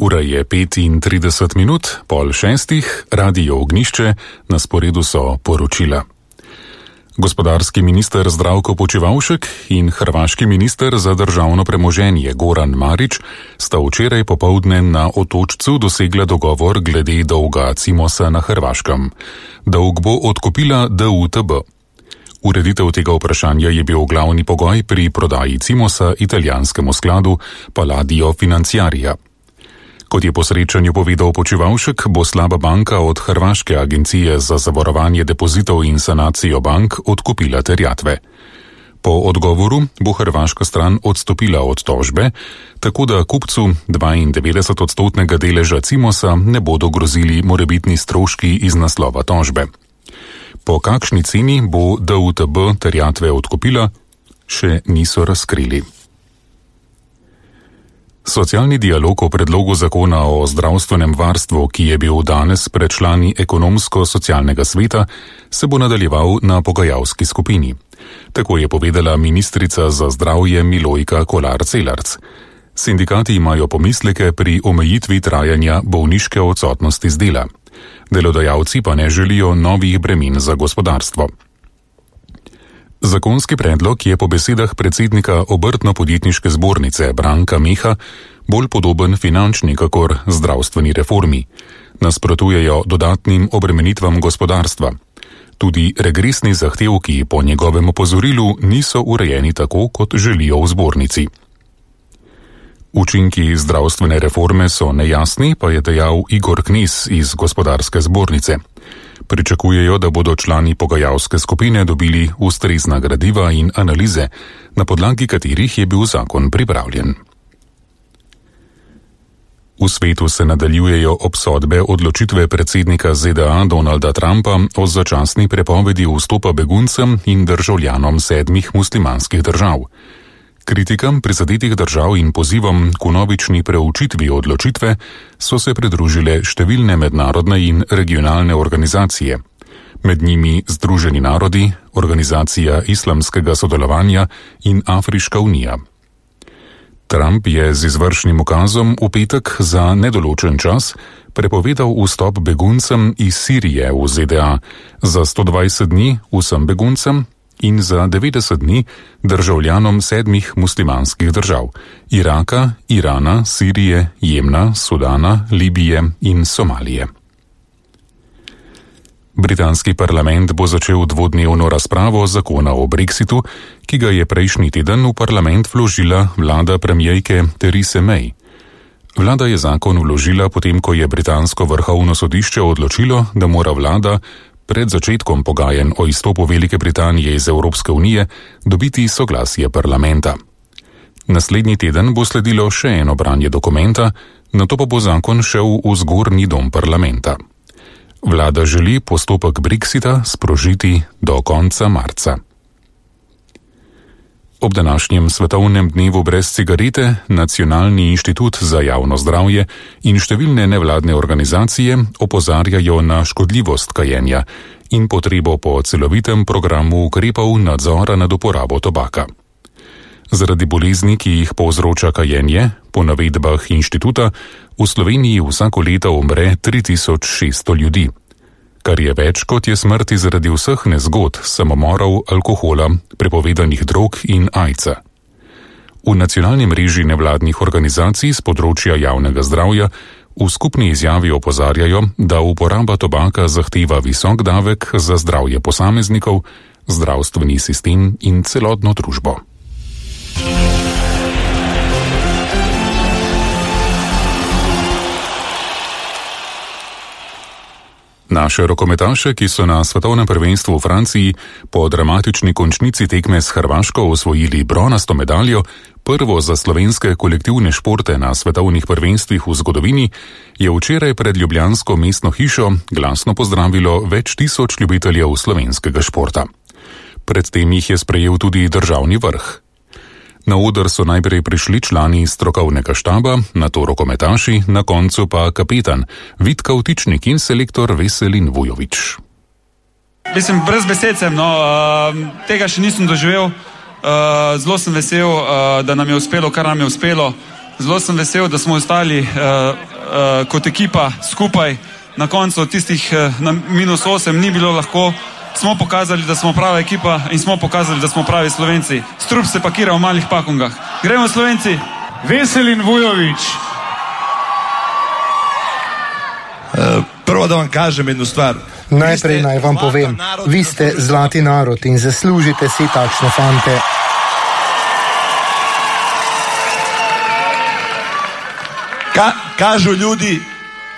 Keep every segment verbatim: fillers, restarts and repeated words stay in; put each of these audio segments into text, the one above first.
Ura je petintrideset minut, pol šestih, Radio Ognjišče, na sporedu so poročila. Gospodarski minister Zdravko Počivalšek in hrvaški minister za državno premoženje Goran Marić sta včeraj popoldne na Otočcu dosegla dogovor glede dolga Cimosa na Hrvaškem. Dolg bo odkupila D U T B. Ureditev tega vprašanja je bil glavni pogoj pri prodaji Cimosa italijanskemu skladu Palladio Financiaria. Kot je po srečanju povedal Počivalšek, bo slaba banka od Hrvaške agencije za zavarovanje depozitov in sanacijo bank odkupila terjatve. Po odgovoru bo hrvaška stran odstopila od tožbe, tako da kupcu dvaindevetdesetodstotnega deleža Cimosa ne bodo grozili morebitni stroški iz naslova tožbe. Po kakšni ceni bo D U T B terjatve odkupila, še niso razkrili. Socialni dialog o predlogu zakona o zdravstvenem varstvu, ki je bil danes pred člani ekonomsko-socialnega sveta, se bo nadaljeval na pogajalski skupini. Tako je povedala ministrica za zdravje Milojka Kolar Celarc. Sindikati imajo pomisleke pri omejitvi trajanja bolniške odsotnosti z dela. Delodajalci pa ne želijo novih bremen za gospodarstvo. Zakonski predlog je po besedah predsednika Obrtno-podjetniške zbornice Branka Meha bolj podoben finančni kakor zdravstveni reformi. Nasprotujejo dodatnim obremenitvam gospodarstva. Tudi regresni zahtevki po njegovem opozorilu niso urejeni tako, kot želijo v zbornici. Učinki zdravstvene reforme so nejasni, pa je dejal Igor Knez iz gospodarske zbornice. Pričakujejo, da bodo člani pogajalske skupine dobili ustrezna gradiva in analize, na podlagi katerih je bil zakon pripravljen. V svetu se nadaljujejo obsodbe odločitve predsednika Z D A Donalda Trumpa o začasni prepovedi vstopa beguncem in državljanom sedmih muslimanskih držav. Kritikam prizadetih držav in pozivom k vnovični preučitvi odločitve so se pridružile številne mednarodne in regionalne organizacije. Med njimi Združeni narodi, Organizacija islamskega sodelovanja in Afriška unija. Trump je z izvršnim ukazom v petek za nedoločen čas prepovedal vstop beguncem iz Sirije v Z D A, za sto dvajset dni vsem beguncem in za devetdeset dni državljanom sedmih muslimanskih držav: Iraka, Irana, Sirije, Jemna, Sudana, Libije in Somalije. Britanski parlament bo začel dvodnevno razpravo zakona o Brexitu, ki ga je prejšnji teden v parlament vložila vlada premierke Therese May. Vlada je zakon vložila potem, ko je britansko vrhovno sodišče odločilo, da mora vlada pred začetkom pogajanj o izstopu Velike Britanije iz Evropske unije dobiti soglasje parlamenta. Naslednji teden bo sledilo še eno branje dokumenta, nato pa bo zakon šel v zgornji dom parlamenta. Vlada želi postopek Brexita sprožiti do konca marca. Ob današnjem svetovnem dnevu brez cigarete Nacionalni inštitut za javno zdravje in številne nevladne organizacije opozarjajo na škodljivost kajenja in potrebo po celovitem programu ukrepov nadzora nad uporabo tobaka. Zaradi bolezni, ki jih povzroča kajenje, po navedbah inštituta v Sloveniji vsako leto umre tri tisoč šeststo ljudi, kar je več kot je smrti zaradi vseh nezgod, samomorov, alkohola, prepovedanih drog in aidsa. V nacionalni mreži nevladnih organizacij z področja javnega zdravja v skupni izjavi opozarjajo, da uporaba tobaka zahteva visok davek za zdravje posameznikov, zdravstveni sistem in celotno družbo. Naše rokometaše, ki so na svetovnem prvenstvu v Franciji po dramatični končnici tekme s Hrvaško osvojili bronasto medaljo, prvo za slovenske kolektivne športe na svetovnih prvenstvih v zgodovini, je včeraj pred ljubljansko mestno hišo glasno pozdravilo več tisoč ljubiteljev slovenskega športa. Predtem jih je sprejel tudi državni vrh. Na oder so najprej prišli člani strokovnega štaba, nato rokometaši, na koncu pa kapetan Vid Kavtičnik in selektor Veselin Vujović. Mislim, brez besed sem, no, tega še nisem doživel. Zelo sem vesel, da nam je uspelo, kar nam je uspelo. Zelo sem vesel, da smo ostali uh, kot ekipa skupaj. Na koncu tistih uh, na minus osem ni bilo lahko. Smo pokazali, da smo prava ekipa in smo pokazali, da smo pravi Slovenci. Strup se pakira v malih pakungah. Gremo Slovenci! Veselin Vujović. Uh, prvo da vam kažem jednu stvar. Najprej naj vam povem, vi ste zlati narod in zaslužite si takšne fante. Ka, kažu ljudi,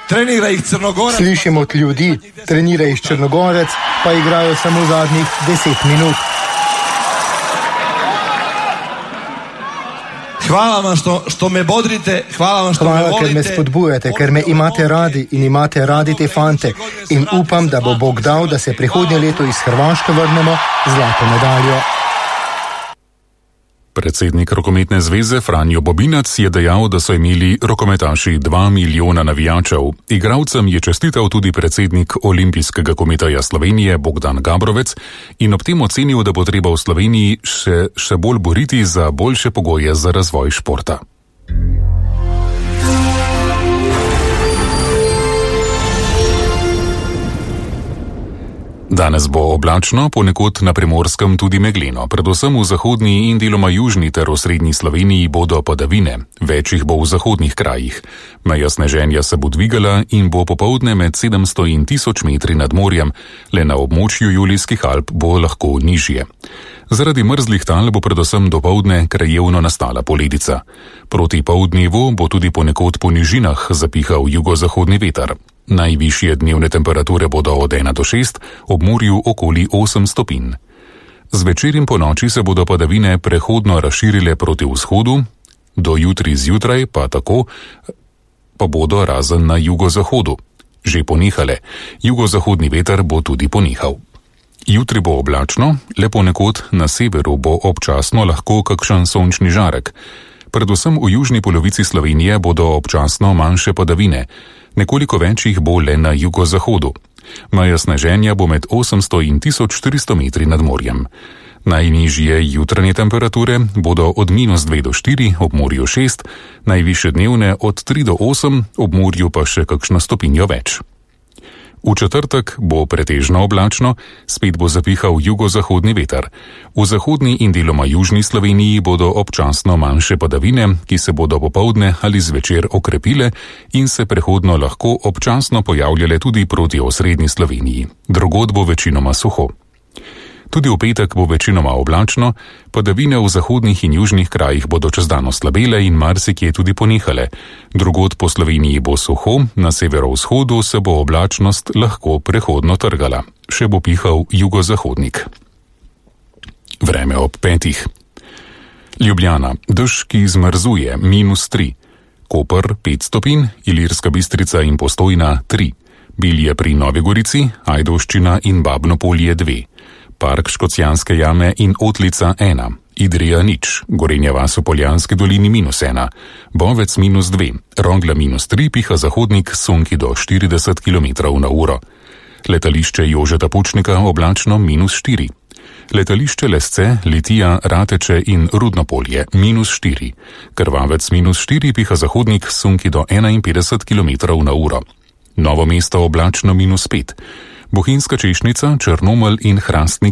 trenira ih Crnogorac. Slišim od ljudi, trenira ih Črnogorec, pa igrajo samo zadnjih deset minut. Hvala vam što, što me bodrite, hvala vam što hvala, me volite. ker me spodbujate, ker me imate radi in imate radi te fante. In upam, da bo Bog dal, da se prihodnje leto iz Hrvaške vrnemo z zlato medaljo. Predsednik rokometne zveze Franjo Bobinac je dejal, da so imeli rokometaši dva milijona navijačev. Igralcem je čestital tudi predsednik Olimpijskega komiteja Slovenije Bogdan Gabrovec in ob tem ocenil, da bo treba v Sloveniji še, še bolj boriti za boljše pogoje za razvoj športa. Danes bo oblačno, ponekod na Primorskem tudi megleno, predvsem v zahodni in deloma južni ter v srednji Sloveniji bodo padavine, več jih bo v zahodnih krajih. Meja sneženja se bo dvigala in bo popoldne med sedemsto in tisoč metri nad morjem, le na območju Julijskih Alp bo lahko nižje. Zaradi mrzlih tal bo predvsem dopoldne krajevno nastala poledica. Proti poldnevu bo tudi ponekod po nižinah zapihal jugozahodni veter. Najvišje dnevne temperature bodo od ena do šest, ob morju okoli osem stopinj. Zvečer in ponoči se bodo padavine prehodno razširile proti vzhodu, do jutri zjutraj pa tako pa bodo razen na jugozahodu že ponehale. Jugozahodni veter bo tudi ponehal. Jutri bo oblačno, le ponekod na severu bo občasno lahko kakšen sončni žarek. Predvsem v južni polovici Slovenije bodo občasno manjše padavine, nekoliko več jih bo le na jugozahodu. Meja sneženja bo med osemsto in tisoč štiristo metri nad morjem. Najnižje jutranje temperature bodo od minus dve do štiri, ob morju šest, najvišje dnevne od tri do osem, ob morju pa še kakšno stopinjo več. V četrtek bo pretežno oblačno, spet bo zapihal jugozahodni veter. V zahodni in deloma južni Sloveniji bodo občasno manjše padavine, ki se bodo popoldne ali zvečer okrepile in se prehodno lahko občasno pojavljale tudi proti osrednji Sloveniji. Drugod bo večinoma suho. Tudi v petek bo večinoma oblačno, padavine v zahodnih in južnih krajih bodo čez dan oslabele in marsikje tudi ponehale. Drugod po Sloveniji bo suho, na severovzhodu se bo oblačnost lahko prehodno trgala. Še bo pihal jugozahodnik. Vreme ob petih. Ljubljana, dež, ki zmrzuje, minus tri. Koper, pet stopinj, Ilirska Bistrica in Postojna, tri. Bilje pri Novi Gorici, Ajdovščina in Babno Polje, dve. Park Škocjanske jame in Otlica ena, Idrija nič, Gorenja vas v Poljanski dolini minus ena, Bovec minus dve, Rogla minus tri, piha zahodnik sunki do štirideset kilometrov na uro. Letališče Jožeta Pučnika oblačno minus štiri. Letališče Lesce, Litija, Rateče in Rudnopolje minus štiri. Krvavec minus štiri, piha zahodnik sunki do enainpetdeset kilometrov na uro. Novo mesto oblačno minus pet. Bohinjska Češnjica, Črnomelj in Hrastnik